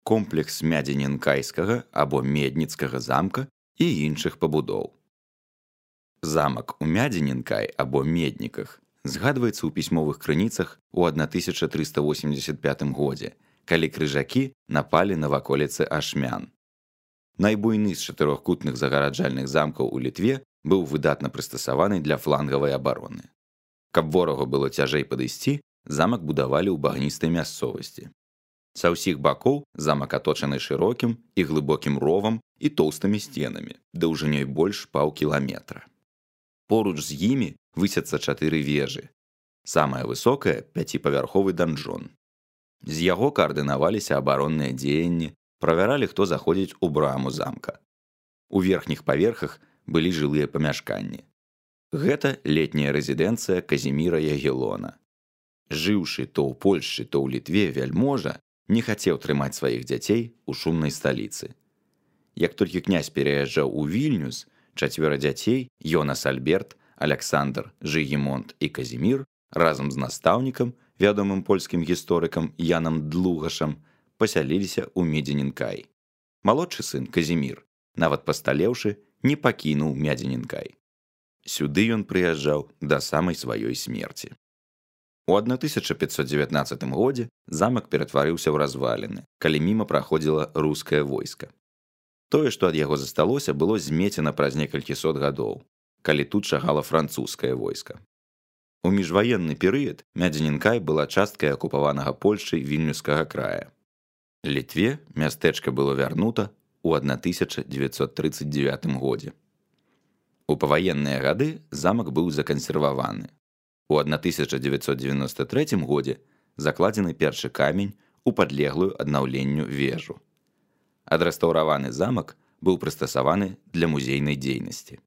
комплекс Мядзенінкайскага або Медніцкага замка і іншых пабудоў. Замак у Мядзенінкай або Медніках згадваецца ў пісьмовых крыніцах у 1385 годзе, калі крыжакі напалі на ваколіцы Ашмян. Найбуйны з чатырохкутных загараджальных замкаў у Літве быў выдатна прыстасаваны для флангавай абароны. Каб ворагу было цяжэй падысці, замак будавалі ў багністай мясцовасці. Са ўсіх бакоў замак аточаны шырокім і глыбокім ровам і тоўстымі сценамі, даўжынёй больш паўкіламетра. Поруч з імі высяцца 4 вежы. Самая высокая – 5павярховы данжон. З яго каардынаваліся абаронныя дзеянні, правяралі, хто заходзіць у браму замка. У верхніх паверхах былі жылыя памяшканні. Гэта летняя рэзідэнцыя Казіміра Ягелона. Жыўшы то ў Польшчы, то ў Літве вяльможа не хацеў трымаць сваіх дзяцей у шумнай сталіцы. Як толькі князь пераязджаў у Вільнюс, 4 дзяцей – Йонас Альберт, Аляксандр, Жыгімонт і Казімір разам з настаўнікам, вядомым польскім гісторыкам Янам Длугашам, пасяліліся ў Мядзенінкай. Малодшы сын, Казімір, нават пасталеўшы, не пакінуў Мядзенінкай. Сюды ён прыязджаў да самай сваёй смерці. У 1519 годзе замак ператварыўся ў разваліны, калі міма праходзіла рускае войска. Тое, што ад яго засталося, было змецена праз некалькі сот гадоў, калі тут шагала французскае войска. У міжваенны перыяд Мядзенінкай была часткай акупаванага Польшчай Вільнюскага края. Літве мястэчка было вярнута ў 1939 годзе. У паваенныя гады замак быў закансерваваны. У 1993 годзе закладзены першы камень у падлеглую аднаўленню вежу. Адрэстаўраваны замак быў прыстасаваны для музейнай дзейнасці.